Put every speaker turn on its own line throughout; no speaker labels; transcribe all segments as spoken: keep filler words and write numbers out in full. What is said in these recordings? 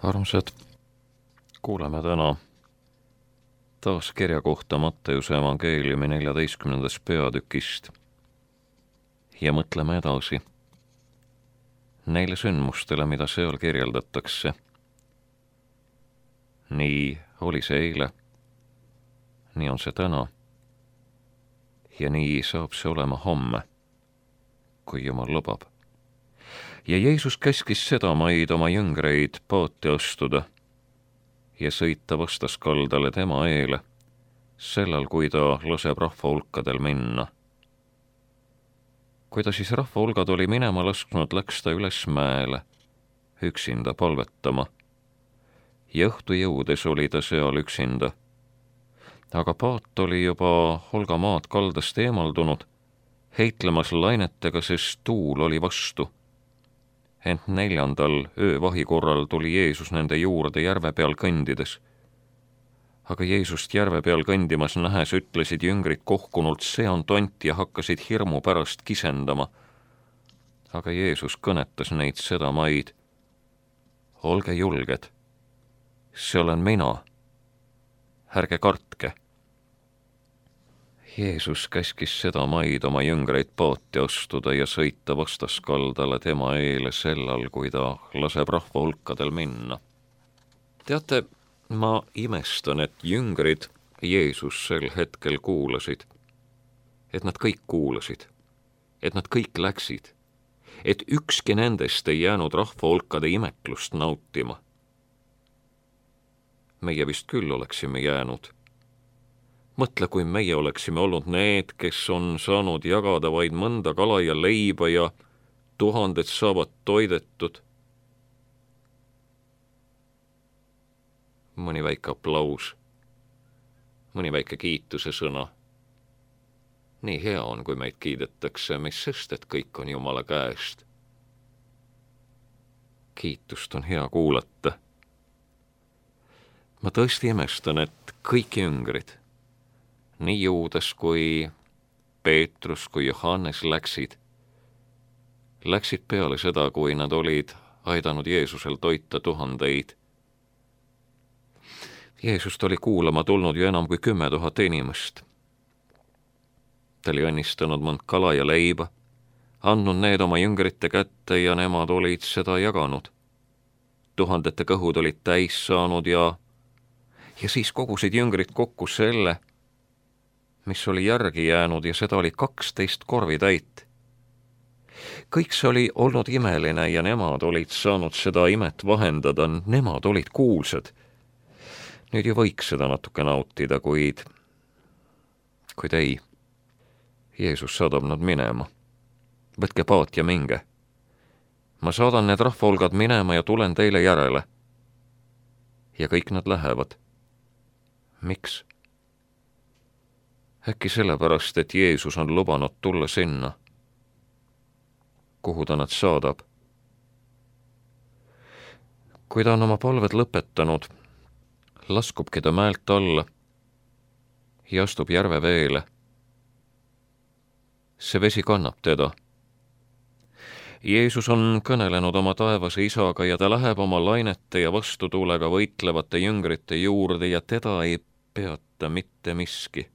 Armsad, kuuleme täna taas kirja kohta Matteuse evangeeliumi neljateistkümnendast peatükist ja mõtleme edasi neile sündmustele, mida seal kirjeldatakse. Nii oli see eile, nii on see täna ja nii saab see olema homme, kui Jumal lubab. Ja Jeesus käskis seda maid oma jüngreid paati astuda ja sõita vastaskaldale tema eele, sellal, kui ta laseb rahva hulkadel minna. Kui ta siis rahva hulgad oli minema lasknud, läks ta üles mäele, üksinda palvetama. Ja õhtu jõudes oli ta seal üksinda. Aga paat oli juba Holga maad kaldast eemaldunud, heitlemas lainetega, sest tuul oli vastu. Ent neljandal öövahi korral tuli Jeesus nende juurde järve peal kõndides. Aga Jeesust järve peal kõndimas nähes ütlesid jüngrid kohkunult, see on tont, ja hakkasid hirmu pärast kisendama. Aga Jeesus kõnetas neid seda maid. Olge julged, see olen mina, ärge kartke. Jeesus käskis seda maid oma jüngreid paati astuda ja sõita vastaskaldale tema eele sellal, kui ta laseb rahva hulkadel minna. Teate, ma imestan, et jüngrid Jeesus sel hetkel kuulasid, et nad kõik kuulasid, et nad kõik läksid, et ükski nendest ei jäänud rahva hulkade imeklust nautima. Meie vist küll oleksime jäänud. Mõtle, kui meie oleksime olnud need, kes on saanud jagada vaid mõnda kala ja leiba ja tuhanded saavad toidetud. Mõni väike aplaus, mõni väike kiituse sõna. Nii hea on, kui meid kiidetakse, mis sest, et kõik on Jumala käest. Kiitust on hea kuulata. Ma tõesti imestan, et kõik jüngrid, nii Juudas kui Peetrus kui Johannes läksid, läksid peale seda, kui nad olid aidanud Jeesusel toita tuhandeid. Jeesust oli kuulama tulnud ju enam kui kümme tuhat inimest. Ta oli õnnistanud mõnd kala ja leiba, andnud need oma jüngrite kätte ja nemad olid seda jaganud. Tuhandete kõhud olid täis saanud ja, ja siis kogusid jüngrid kokku selle, mis oli järgi jäänud, ja seda oli kaksteist korvi täit. Kõik see oli olnud imeline ja nemad olid saanud seda imet vahendada, nemad olid kuulsad. Nüüd ju võiks seda natuke nautida, kuid, kuid ei. Jeesus saadab nad minema. Võtke paat ja minge. Ma saadan need rahvahulgad minema ja tulen teile järele. Ja kõik nad lähevad. Miks? Äkki sellepärast, et Jeesus on lubanud tulla sinna, kuhu ta nad saadab. Kui ta on oma palved lõpetanud, laskubki ta mäelt alla ja astub järve veele. See vesi kannab teda. Jeesus on kõnelenud oma taevase isaga ja ta läheb oma lainete ja vastutuulega võitlevate jüngrite juurde ja teda ei peata mitte miski.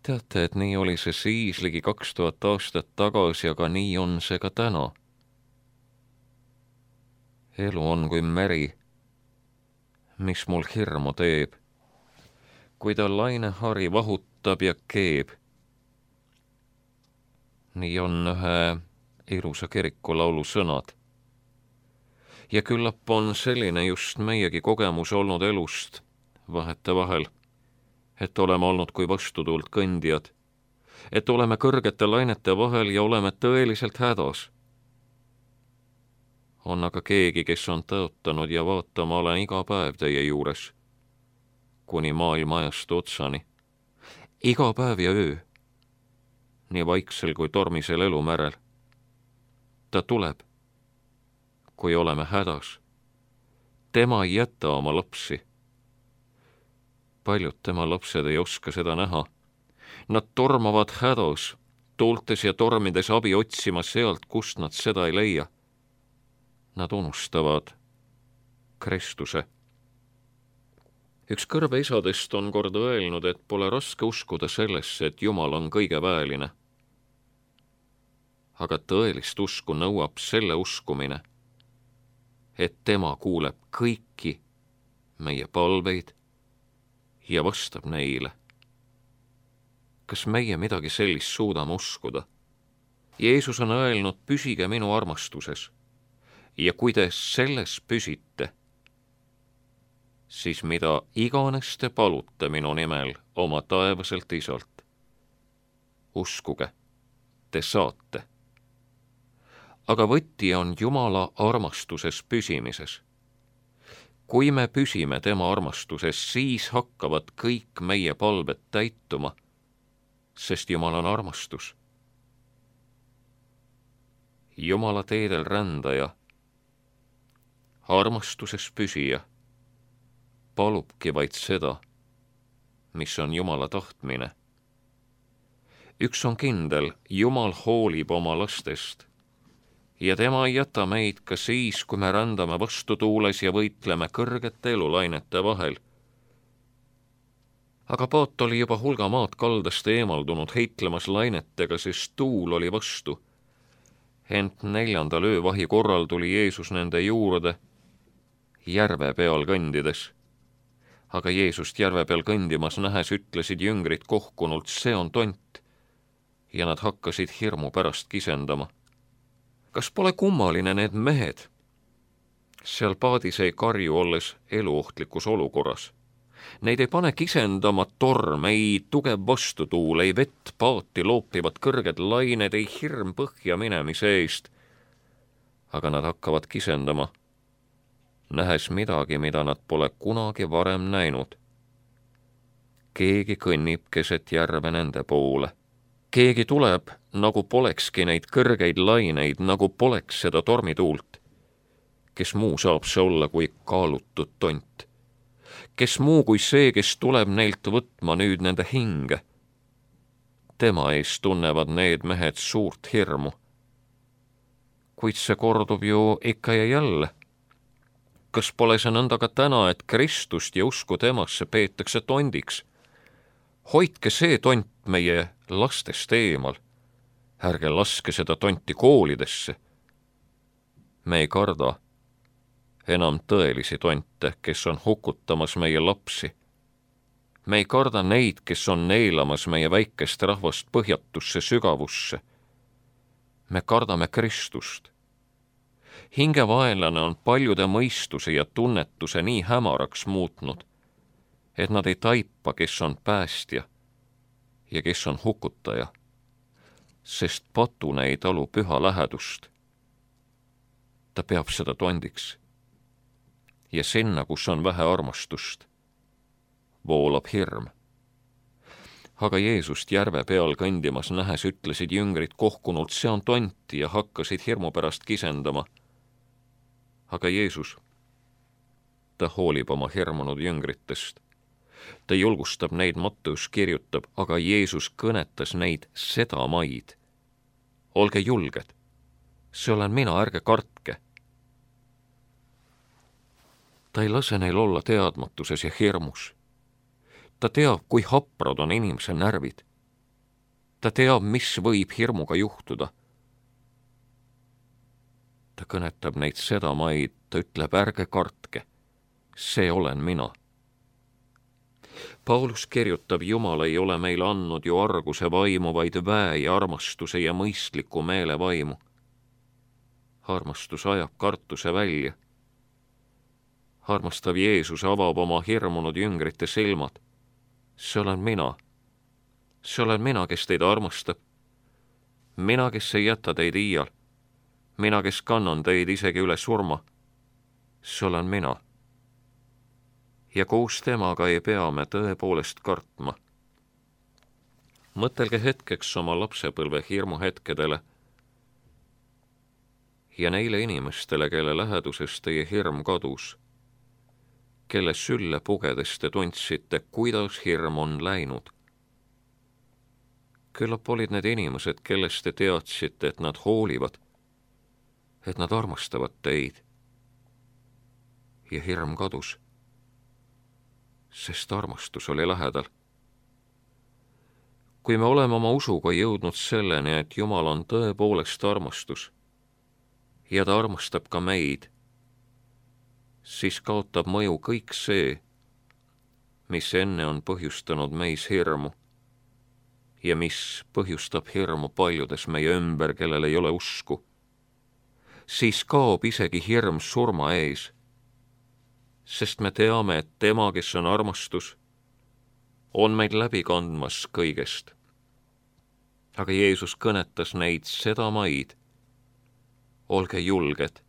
Teate, et nii oli see siis ligi kaks tuhat aastat tagasi, aga nii on see ka täna. Elu on kui meri, mis mul hirmu teeb, kui ta lainehari vahutab ja keeb. Nii on ühe ilusa kirikulaulu sõnad. Ja küllap on selline just meiegi kogemus olnud elust vahete vahel, et oleme olnud kui vastutuult kõndijad, et oleme kõrgete lainete vahel ja oleme tõeliselt hädas. On aga keegi, kes on tõotanud ja vaatama olen iga päev teie juures, kuni maailma ajastu otsani. Iga päev ja öö, nii vaiksel kui tormisel elumärel. Ta tuleb, kui oleme hädas. Tema ei jäta oma lapsi. Paljud tema lapsed ei oska seda näha. Nad tormavad hädas, tuultes ja tormides abi otsima sealt, kust nad seda ei leia. Nad unustavad, Kristuse. Üks kõrbe isadest on kord öelnud, et pole raske uskuda sellesse, et Jumal on kõigeväeline. Aga tõelist usku nõuab selle uskumine, et tema kuuleb kõiki meie palveid ja vastab neile. Kas meie midagi sellist suudame uskuda? Jeesus on öelnud, püsige minu armastuses ja kui te selles püsite, siis mida iganes te palute minu nimel oma taevaselt isalt, uskuge, te saate. Aga võti on Jumala armastuses püsimises. Kui me püsime tema armastuses, siis hakkavad kõik meie palved täituma, sest Jumal on armastus. Jumala teedel rändaja, armastuses püsija, palubki vaid seda, mis on Jumala tahtmine. Üks on kindel, Jumal hoolib oma lastest ja tema ei jäta meid ka siis, kui me rändame vastutuules ja võitleme kõrgete elulainete vahel. Aga paat oli juba hulga maad kaldast eemaldunud heitlemas lainetega, sest tuul oli vastu. Ent neljandal öövahi korral tuli Jeesus nende juurde järve peal kõndides. Aga Jeesust järve peal kõndimas nähes ütlesid jüngrid kohkunult, see on tont, ja nad hakkasid hirmu pärast kisendama. Kas pole kummaline need mehed? Seal paadis ei karju olles eluohtlikus olukorras. Neid ei pane kisendama torm, ei tugev vastutuul, ei vett paati loopivad kõrged lained, ei hirm põhja minemise eest. Aga nad hakkavad kisendama, nähes midagi, mida nad pole kunagi varem näinud. Keegi kõnnib keset järve nende poole. Keegi tuleb, nagu polekski neid kõrgeid laineid, nagu poleks seda tormituult. Kes muu saab see olla kui kaalutud tont? Kes muu kui see, kes tuleb neilt võtma nüüd nende hinge? Tema eest tunnevad need mehed suurt hirmu. Kuid see kordub ju ikka ja jälle. Kas pole see nõnda ka täna, et Kristust ja usku temasse peetakse tondiks? Hoidke see tont meie lastest eemal. Ärge laske seda tonti koolidesse. Me ei karda enam tõelisi tonte, kes on hukutamas meie lapsi. Me ei karda neid, kes on neelamas meie väikest rahvast põhjatusse sügavusse. Me kardame Kristust. Hingevaenlane on paljude mõistuse ja tunnetuse nii hämaraks muutnud, et nad ei taipa, kes on päästja ja kes on hukutaja, sest patune ei talu püha lähedust. Ta peab seda tondiks. Ja sinna, kus on vähe armastust, voolab hirm. Aga Jeesust järve peal kõndimas nähes ütlesid jüngrid kohkunult, see on tonti ja hakkasid hirmu pärast kisendama. Aga Jeesus, ta hoolib oma hirmunud jüngritest. Ta julgustab neid, Matteus kirjutab, aga Jeesus kõnetas neid seda maid. Olge julged, see olen mina, ärge kartke. Ta ei lase neil olla teadmatuses ja hirmus. Ta teab, kui haprad on inimese närvid. Ta teab, mis võib hirmuga juhtuda. Ta kõnetab neid seda maid, ta ütleb, ärge kartke, see olen mina. Paulus kirjutab, Jumal ei ole meile andnud ju arguse vaimu, vaid väe ja armastuse ja mõistliku meele vaimu. Armastus ajab kartuse välja. Armastav Jeesus avab oma hirmunud jüngrite silmad. See olen mina. See olen mina, kes teid armastab. Mina, kes ei jäta teid iial. Mina, kes kannan teid isegi üle surma. See olen mina. Ja koos temaga ei pea me tõepoolest kartma. Mõtelge hetkeks oma lapsepõlve hirmuhetkedele ja neile inimestele, kelle läheduses teie hirm kadus, kelle sülle pugedes te tundsite, kuidas hirm on läinud. Küllap olid need inimesed, kellest te teadsite, et nad hoolivad, et nad armastavad teid. ja hirm kadus, sest armastus oli lähedal. Kui me oleme oma usuga jõudnud selleni, et Jumal on tõepoolest armastus ja ta armastab ka meid, siis kaotab mõju kõik see, mis enne on põhjustanud meis hirmu ja mis põhjustab hirmu paljudes meie ümber, kellel ei ole usku. Siis kaob isegi hirm surma ees, sest me teame, et tema, kes on armastus, on meid läbi kandmas kõigest. Aga Jeesus kõnetas neid seda maid. Olge julged,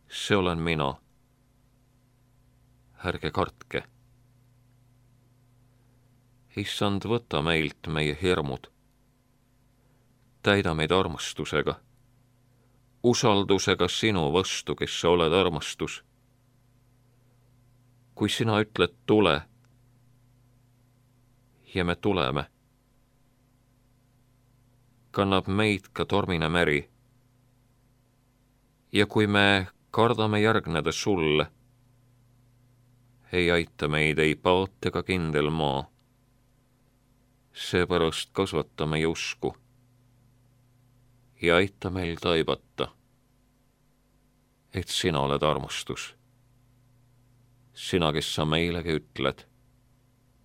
see olen mina. Ärge kartke. Issand, võta meilt meie hirmud. Täida meid armastusega, usaldusega sinu vastu, kes sa oled armastus. Kui sina ütled tule, ja me tuleme, kannab meid ka tormine meri. Ja kui me kardame järgneda sulle, ei aita meid ei paat ega kindel maa. Seepärast kasvata meie usku ja aita meil taibata, et sina oled armastus. Sina, kes sa meilegi ütled,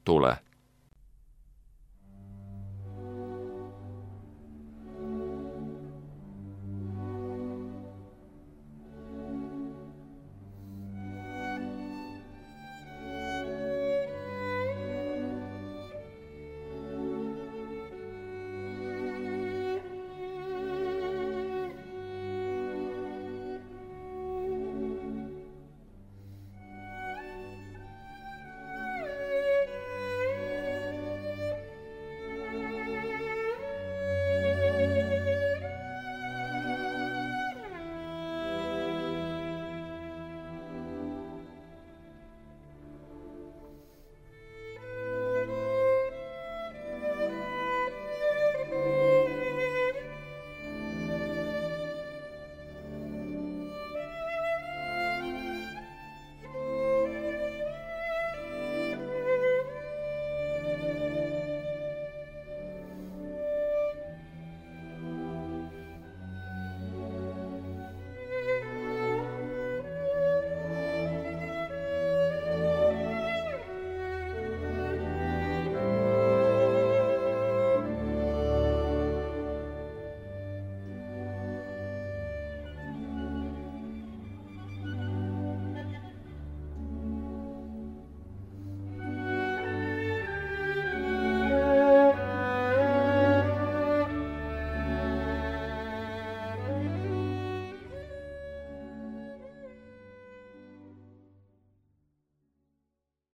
tule.